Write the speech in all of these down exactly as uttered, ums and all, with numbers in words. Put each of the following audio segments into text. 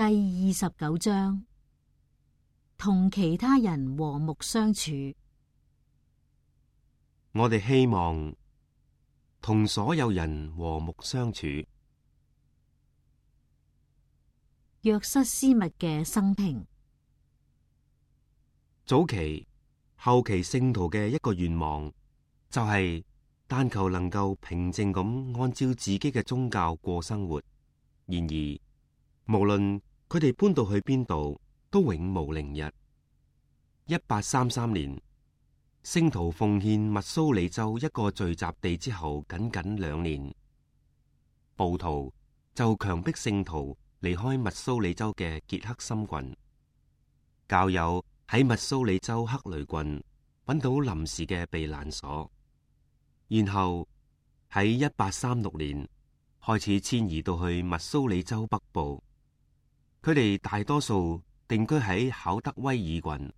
第二十九章，同其他人和睦相處。我哋希望同所有人和睦相處。約瑟斯密嘅生平。早期、後期聖徒嘅一個願望，就係但求能夠平靜咁按照自己嘅宗教過生活。然而，無論佢哋搬到去邊度，都永無寧日。一八三三年，聖徒奉獻密蘇里州一個聚集地之後，僅僅兩年，暴徒就強迫聖徒離開密蘇里州嘅傑克森郡。教友喺密蘇里州克雷郡揾到臨時嘅避難所，然後喺一八三六年開始遷移到去密蘇里州北部。佢哋大多數定居喺考德威爾郡。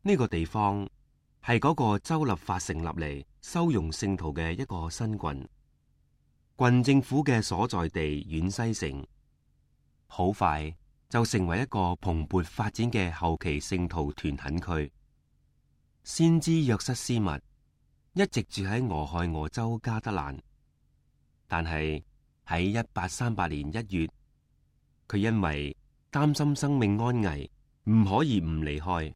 呢個地方係嗰個州立法成立嚟收容聖徒嘅一個新郡。郡政府嘅所在地遠西城，好快就成為一個蓬勃發展嘅後期聖徒團墾區。先知約瑟斯密一直住喺俄亥俄州加德蘭，但係喺一八三八年一月，佢因為擔心生命安危，唔可以唔離開。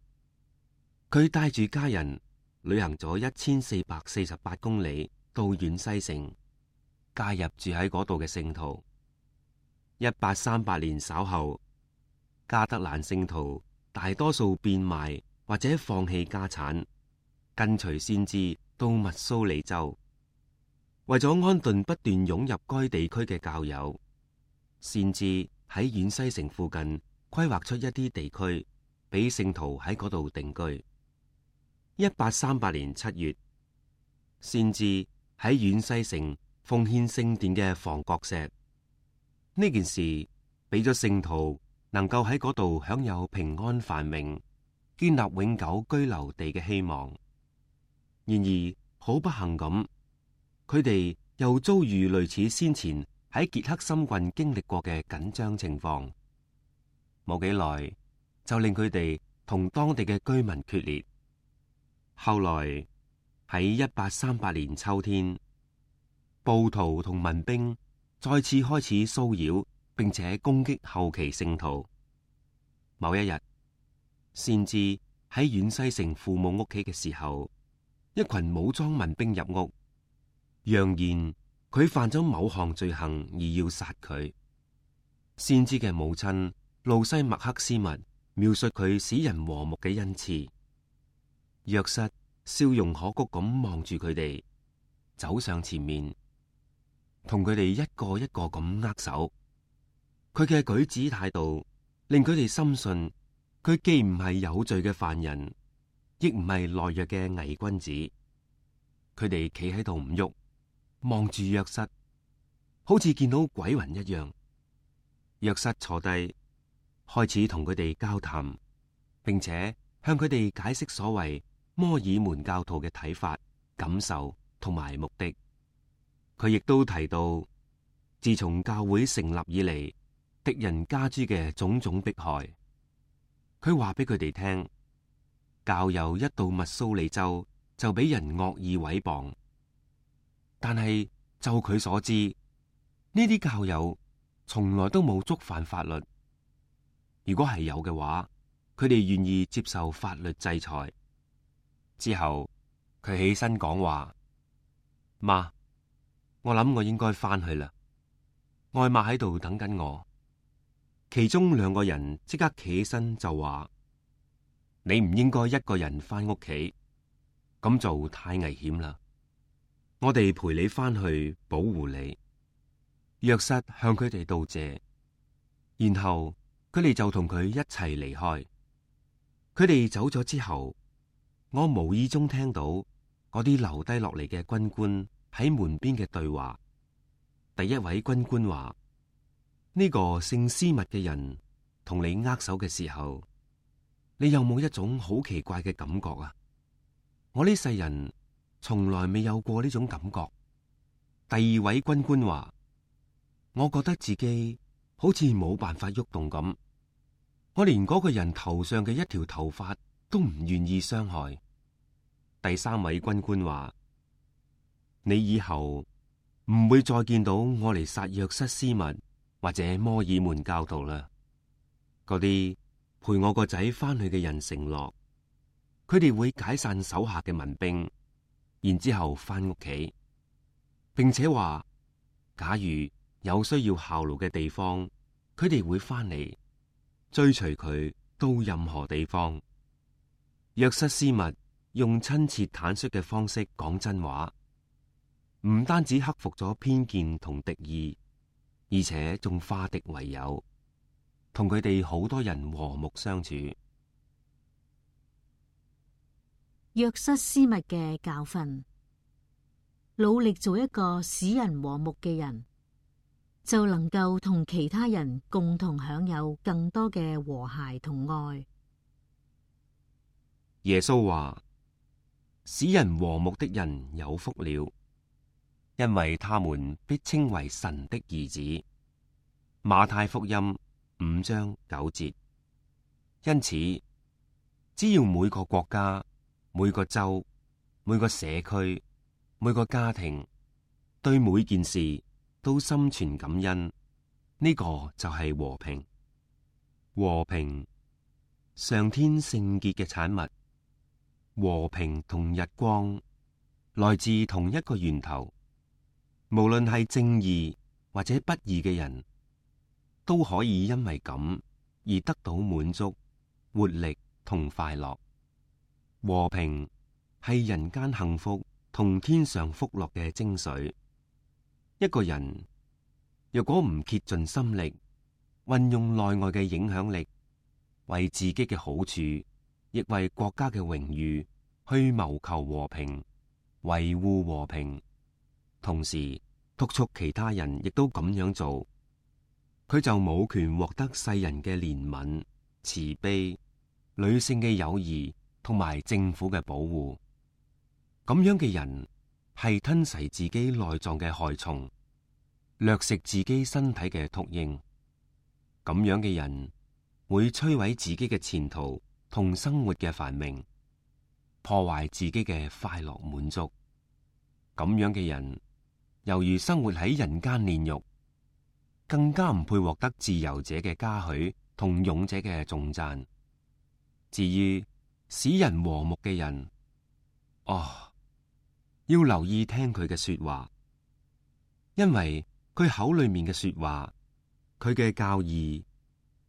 佢帶住家人旅行咗一千四百四十八公里到遠西城，加入住喺嗰度嘅聖徒。一八三八年稍後，加德蘭聖徒大多數變賣或者放棄家產，跟隨先知到密蘇里州。為咗安頓不斷湧入該地區嘅教友，先知喺遠西城附近規劃出一啲地區，俾聖徒喺嗰度定居。一八三八年七月，先知喺遠西城奉獻聖殿嘅房角石。呢件事俾咗聖徒能夠喺嗰度享有平安繁榮、建立永久居留地嘅希望。然而好不幸咁，佢哋又遭遇類似先前喺傑克森郡經歷過嘅緊張情況，冇幾耐就令佢哋同當地嘅居民決裂。後來喺一八三八年秋天，暴徒同民兵再次開始騷擾並且攻擊後期聖徒。某一日，先知喺遠西城父母屋企嘅時候，一群武裝民兵入屋，揚言佢犯咗某項罪行而要殺佢。先知嘅母親路西麥克斯密描述佢使人和睦嘅恩賜。約瑟笑容可掬咁望住佢哋，走上前面，同佢哋一個一個咁握手。佢嘅舉止態度令佢哋深信，佢既唔係有罪嘅犯人，亦唔係懦弱嘅偽君子。佢哋企喺度唔喐，望住約瑟，好似見到鬼魂一樣。約瑟坐低，開始同佢哋交談，並且向佢哋解釋所謂摩爾門教徒嘅睇法、感受同埋目的。佢亦都提到，自從教會成立以嚟，敵人加諸嘅種種迫害。佢話俾佢哋聽，教友一到密蘇里州就俾人惡意毀謗，但係就佢所知，呢啲教友從來都冇觸犯法律。如果係有嘅話，佢哋願意接受法律制裁。之後佢起身講話：媽，我諗我應該翻去啦，外媽喺度等緊我。其中兩個人即刻企起身就話：你唔應該一個人翻屋企，咁做太危險啦。我哋陪你翻去保護你。約瑟向佢哋道謝，然後佢哋就同佢一齊離開。佢哋走咗之後，我無意中聽到嗰啲留低落嚟嘅軍官喺門邊嘅對話。第一位軍官話：呢個姓斯密嘅人同你握手嘅時候，你有冇一種好奇怪嘅感覺啊？我呢世人從來未有過呢種感覺。第二位軍官話：我覺得自己好似冇辦法喐動咁。我連嗰個人頭上嘅一條頭髮都唔願意傷害。第三位軍官話：你以後唔會再見到我嚟殺約瑟斯密或者摩爾門教徒啦。嗰啲陪我個仔翻去嘅人承諾，佢哋會解散手下嘅民兵，然之後翻屋企，並且話假如有需要效勞嘅地方，佢哋會翻嚟追隨佢到任何地方。約瑟斯密用親切坦率嘅方式講真話，唔單止克服咗偏見同敵意，而且仲化敵為友，同佢哋好多人和睦相處。約瑟斯密嘅教訓：努力做一個使人和睦嘅人，就能夠同其他人共同享有更多嘅和諧同愛。耶穌話：使人和睦的人有福了，因為他們必稱為神的兒子。馬太福音五章九節。因此，只要每個國家、每個州、每個社區、每個家庭對每件事都心存感恩，呢個就係和平。和平，上天聖潔嘅產物。和平同日光來自同一個源頭，無論係正義或者不義嘅人，都可以因為咁而得到滿足、活力同快樂。和平係人間幸福同天上福樂嘅精髓。一個人若果唔竭盡心力，運用內外嘅影響力，為自己嘅好處，亦為國家嘅榮譽去謀求和平、維護和平，同時督促其他人亦都咁樣做，佢就冇權獲得世人嘅憐憫、慈悲、女性嘅友誼同埋政府嘅保護。咁樣嘅人係吞噬自己內臟嘅害蟲，掠食自己身體嘅禿鷹。咁樣嘅人會摧毀自己嘅前途同生活嘅繁榮，破壞自己嘅快樂滿足。咁樣嘅人猶如生活喺人間煉獄，更加唔配獲得自由者嘅嘉許同勇者嘅頌讚。至於使人和睦嘅人，哦，要留意聽佢嘅說話，因為佢口裏面嘅說話，佢嘅教義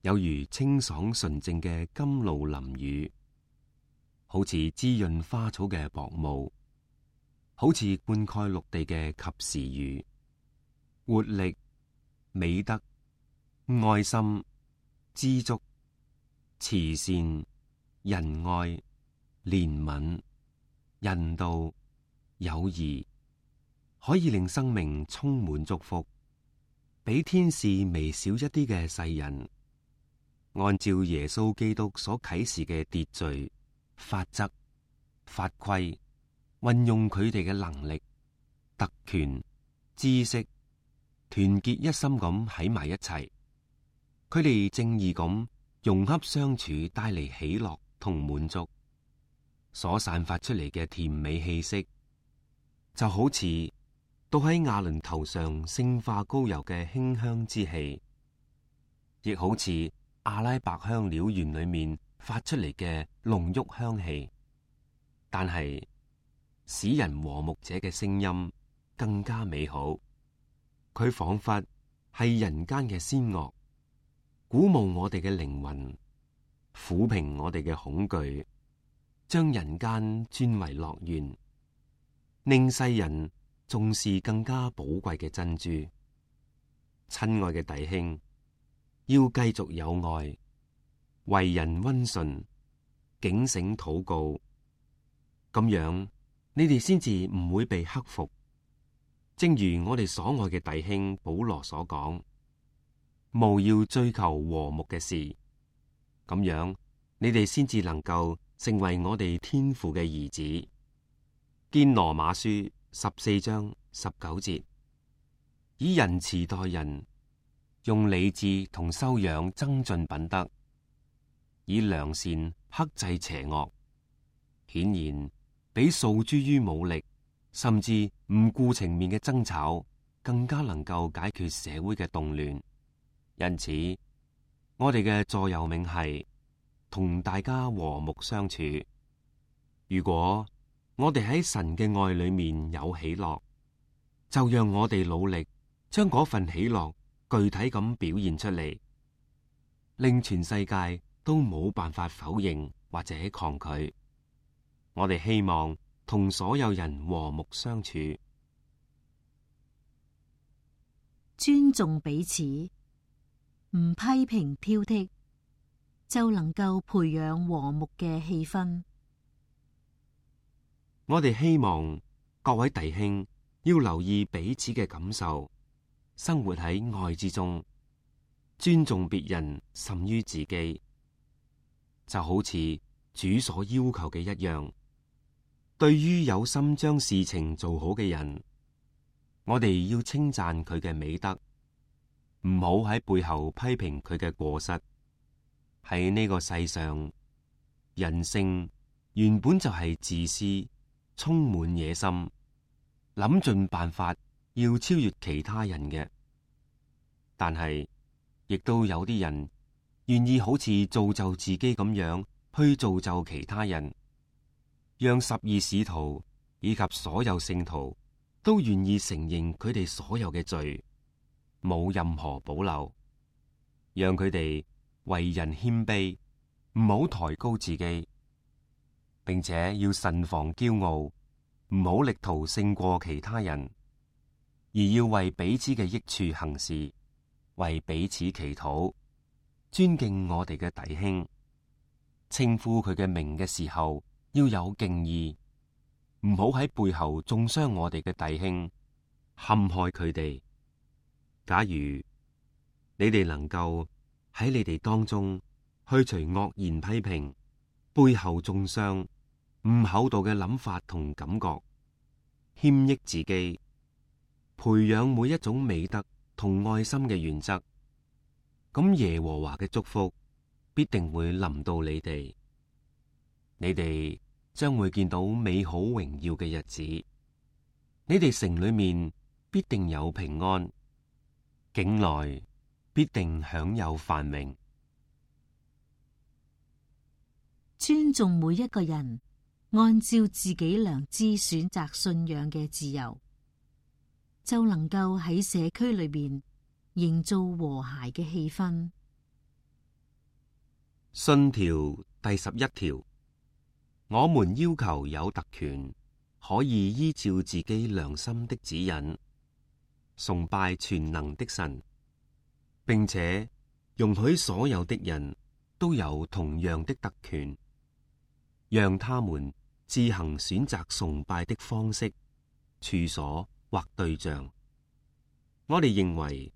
有如清爽純淨嘅甘露淋雨，好似滋潤花草嘅薄霧，好似灌溉陸地嘅及時雨。活力、美德、愛心、知足、慈善、仁愛、憐憫、人道、友誼，可以令生命充滿祝福。比天使微小一啲嘅世人，按照耶穌基督所啟示嘅秩序、法則、法規，運用佢哋嘅能力、特權、知識，團結一心咁喺埋一齊。佢哋正義咁融洽相處，帶嚟喜樂同滿足，所散發出嚟嘅甜美氣息，就好似倒喺亞倫頭上聖化膏油嘅馨香之氣，亦好似阿拉伯香料園裏面發出嚟嘅濃郁香氣。但係使人和睦者嘅聲音更加美好，佢仿佛係人間嘅仙樂，鼓舞我哋嘅靈魂，撫平我哋嘅恐懼，將人間轉為樂園，令世人重視更加寶貴嘅珍珠。親愛嘅弟兄，要繼續有愛，為人溫順，警醒禱告，咁樣你哋先至唔會被克服。正如我哋所愛嘅弟兄保羅所講，務要追求和睦嘅事，咁樣你哋先至能夠成為我哋天父嘅兒子。見羅馬書十四章十九節，以仁慈待人，用理智同修養增進品德，以良善克制邪惡，顯然比訴諸於武力，甚至唔顧情面嘅爭吵，更加能夠解決社會嘅動亂。因此，我哋嘅座右銘係同大家和睦相處。如果我哋喺神嘅愛裏面有喜樂，就讓我哋努力將嗰份喜樂具體咁表現出嚟，令全世界都冇辦法否認或者抗拒。我哋希望同所有人和睦相處，尊重彼此，唔批評挑剔，就能夠培養和睦嘅氣氛。我哋希望各位弟兄要留意彼此嘅感受，生活喺愛之中，尊重別人甚於自己，就好似主所要求嘅一樣。對於有心將事情做好嘅人，我哋要稱讚佢嘅美德，唔好喺背後批評佢嘅過失。喺呢個世上，人性原本就係自私，充滿野心，諗盡辦法要超越其他人嘅。但係，亦都有啲人願意好似造就自己咁樣去造就其他人，讓十二使徒以及所有聖徒都願意承認佢哋所有嘅罪，冇任何保留，讓佢哋為人謙卑，唔好抬高自己，並且要慎防驕傲，唔好力圖勝過其他人，而要為彼此嘅益處行事，為彼此祈禱，尊敬我哋嘅弟兄，稱呼佢嘅名嘅時候要有敬意，唔好喺背後中傷我哋嘅弟兄，陷害佢哋。假如你哋能夠喺你哋當中去除惡言批評、背後中傷、唔厚道嘅諗法同感覺，謙抑自己，培養每一種美德同愛心嘅原則，咁耶和華嘅祝福必定會臨到你哋。你哋將會見到美好榮耀嘅日子，你哋城裏面必定有平安，境內必定享有繁榮。尊重每一個人按照自己良知選擇信仰嘅自由，就能夠喺社區裏邊營造和諧嘅氣氛。信條第十一條，我們要求有特權，可以依照自己良心的指引，崇拜全能的神，並且容許所有的人都有同樣的特權，讓他們自行選擇崇拜的方式、處所或對象。我哋認為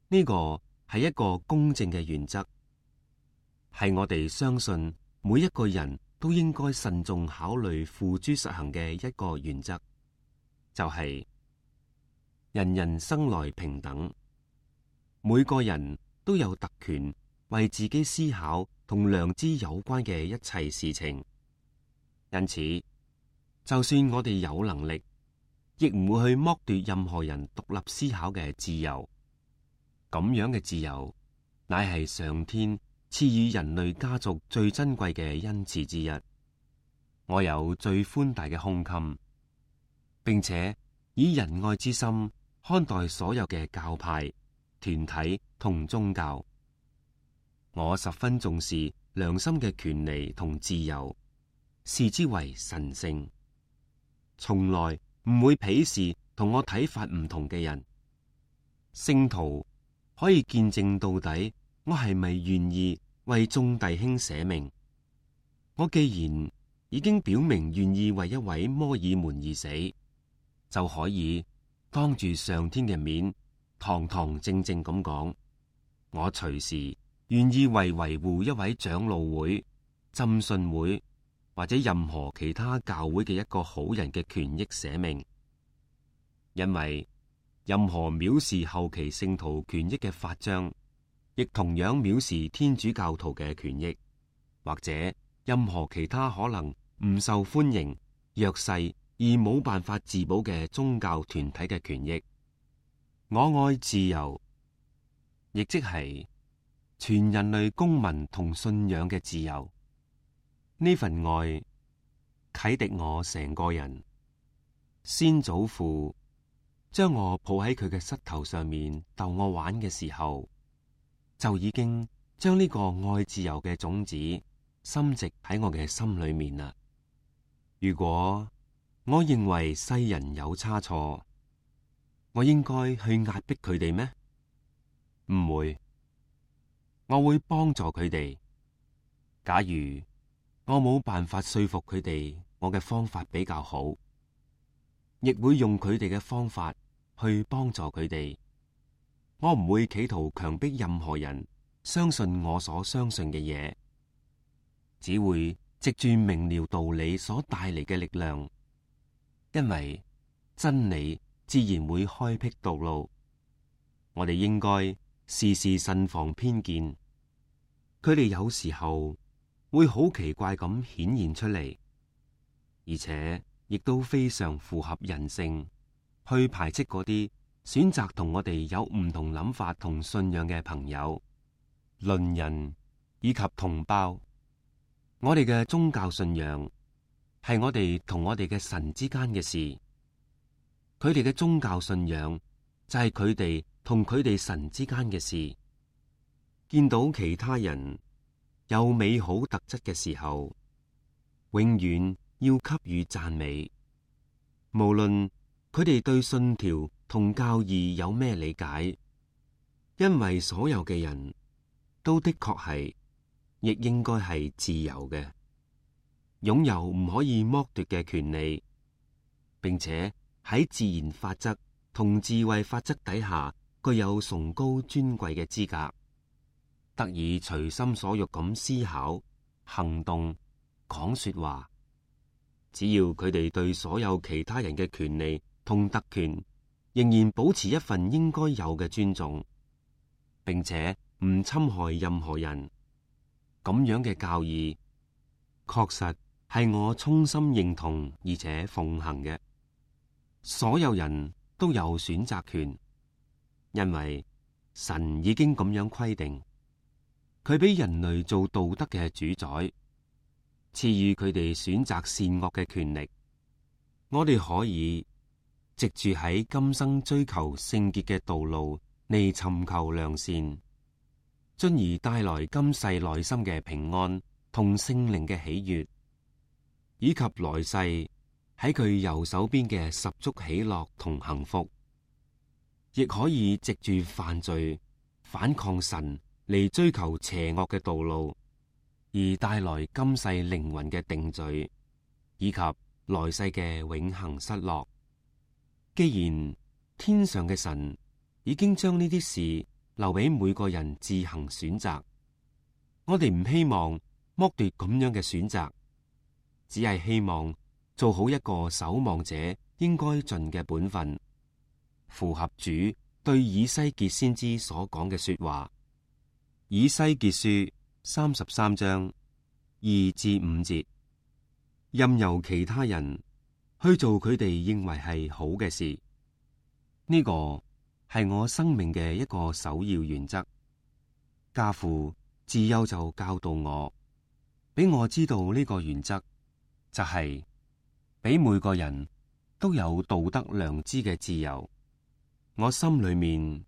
呢個係一個公正嘅原則，係我哋相信每一個人都應該慎重考慮付諸實行嘅一個原則，就係、是、人人生來平等，每個人都有特權為自己思考同良知有關嘅一切事情。因此，就算我哋有能力，亦唔會去剝奪任何人獨立思考嘅自由。咁樣嘅自由，乃係上天賜予人類家族最珍貴嘅恩賜之一。我有最寬大嘅胸襟，並且以仁愛之心看待所有嘅教派、團體同宗教。我十分重視良心嘅權利同自由，視之為神聖，從來唔會鄙視同我睇法唔同嘅人。聖徒可以見證到底，我係咪願意為眾弟兄捨命？我既然已經表明願意為一位摩爾門而死，就可以當住上天嘅面，堂堂正正咁講，我隨時願意為維護一位長老會、浸信會或者任何其他教會嘅一個好人嘅權益捨命，因為任何藐視後期聖徒權益嘅法章，亦同樣藐視天主教徒嘅權益，或者任何其他可能唔受歡迎、弱勢而冇辦法自保嘅宗教團體嘅權益。我愛自由，亦即係全人類公民同信仰嘅自由。呢份愛啟迪我成個人。先祖父將我抱喺佢嘅膝頭上面逗我玩嘅時候，就已經將呢個愛自由嘅種子深植喺我嘅心裏面啦。如果我認為世人有差錯，我應該去壓迫佢哋咩？唔會，我會幫助佢哋。假如我冇辦法說服佢哋，我嘅方法比較好，亦會用佢哋嘅方法去幫助佢哋。我唔會企圖強迫任何人相信我所相信嘅嘢，只會藉住明了道理所帶嚟嘅力量，因為真理自然會開闢道路。我哋應該時時慎防偏見，佢哋有時候會好奇怪咁顯現出嚟，而且亦都非常符合人性，去排斥嗰啲選擇同我哋有唔同諗法同信仰嘅朋友、鄰人以及同胞。我哋嘅宗教信仰係我哋同我哋嘅神之間嘅事，佢哋嘅宗教信仰就係佢哋同佢哋神之間嘅事。見到其他人有美好特質嘅時候，永遠要給予讚美，無論佢哋對信條同教義有咩理解，因為所有嘅人都的確係，亦應該係自由嘅，擁有唔可以剝奪嘅權利，並且喺自然法則同智慧法則底下具有崇高尊貴嘅資格，得以隨心所欲咁思考、行動、講說話。只要佢哋對所有其他人嘅權利同特權仍然保持一份應該有嘅尊重，並且唔侵害任何人，咁樣嘅教義確實係我衷心認同而且奉行嘅。所有人都有選擇權，因為神已經咁樣規定，佢俾人類做道德嘅主宰，賜予佢哋選擇善惡嘅權力。我哋可以藉住喺今生追求聖潔嘅道路嚟尋求良善，進而帶來今世內心嘅平安同聖靈嘅喜悅，以及來世喺佢右手邊嘅十足喜樂同幸福。亦可以藉住犯罪反抗神嚟追求邪惡嘅道路，而帶來今世靈魂嘅定罪，以及來世嘅永恆失落。既然天上嘅神已經將呢啲事留俾每個人自行選擇，我哋唔希望剝奪咁樣嘅選擇，只係希望做好一個守望者應該盡嘅本分，符合主對以西結先知所講嘅說話。以西結書三十三章二至五節，任由其他人去做佢哋認為係好嘅事，呢個係我生命嘅一個首要原則。家父自幼就教導我，俾我知道呢個原則就係俾每個人都有道德良知嘅自由。我心裏面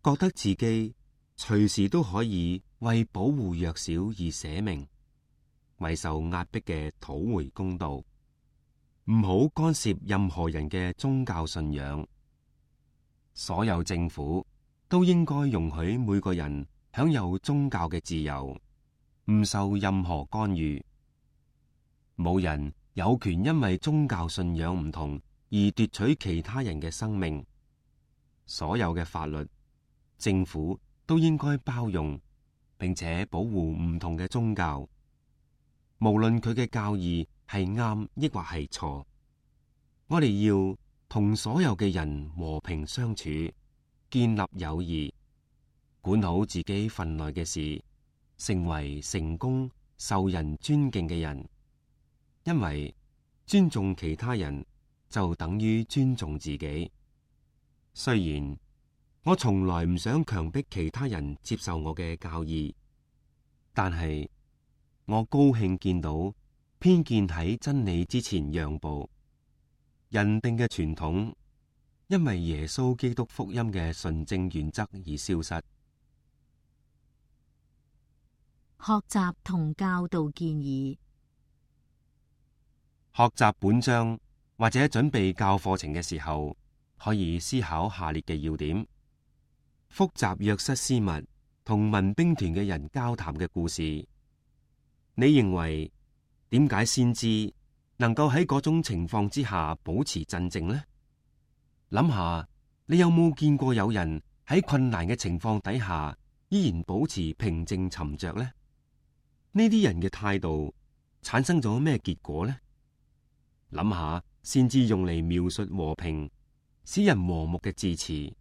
覺得自己隨時都可以為保護弱小而捨命，為受壓迫嘅討回公道。唔好干涉任何人嘅宗教信仰。所有政府都應該容許每個人享有宗教嘅自由，唔受任何干預。冇人有權因為宗教信仰唔同而奪取其他人嘅生命。所有嘅法律，政府都應該包容並且保護唔同嘅宗教，無論佢嘅教義係啱抑或係錯。我哋要同所有嘅人和平相處，建立友誼，管好自己份內嘅事，成為成功受人尊敬嘅人。因為尊重其他人就等於尊重自己。雖然我從來唔想強迫其他人接受我嘅教義，但係我高興見到偏見喺真理之前讓步，人定嘅傳統因為耶穌基督福音嘅純正原則而消失。學習同教導建議。學習本章或者準備教課程嘅時候，可以思考下列嘅要點：複雜約瑟斯密同民兵團嘅人交談嘅故事，你認為點解先知能夠喺嗰種情況之下保持鎮靜呢？諗下，你有冇見過有人喺困難嘅情況底下依然保持平靜沉着呢？呢啲人嘅態度產生咗咩結果呢？諗下，先知用嚟描述和平、使人和睦嘅字詞，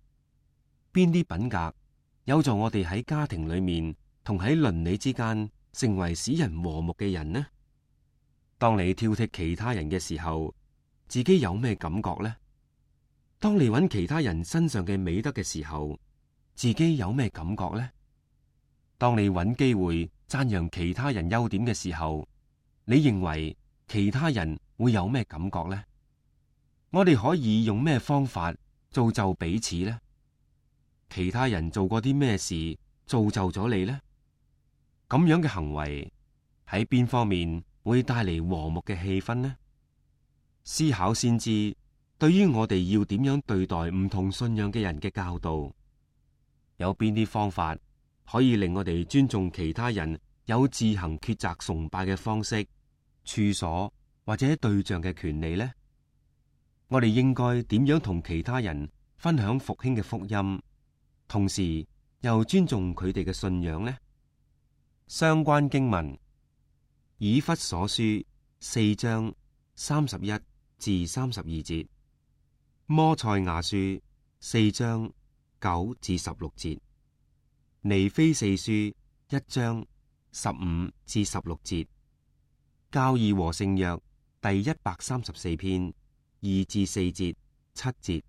邊啲品格有助我哋喺家庭裏面同喺鄰里之間成為使人和睦嘅人呢？當你挑剔其他人嘅時候，自己有咩感覺呢？當你揾其他人身上嘅美德嘅時候，自己有咩感覺呢？當你揾機會讚揚其他人優點嘅時候，你認為其他人會有咩感覺呢？我哋可以用咩方法造就彼此呢？其他人做過啲咩事造就咗你呢？咁樣嘅行為喺邊方面會帶嚟和睦嘅氣氛呢？思考先知對於我哋要點樣對待唔同信仰嘅人嘅教導，有邊啲方法可以令我哋尊重其他人有自行抉擇崇拜嘅方式、處所或者對象嘅權利呢？我哋應該點樣同其他人分享復興嘅福音，同時又尊重佢哋嘅信仰呢？相關經文：以弗所書四章三十一至三十二節，摩賽亞書四章九至十六節，尼非四書一章十五至十六節，教義和聖約第一百三十四篇二至四節七節。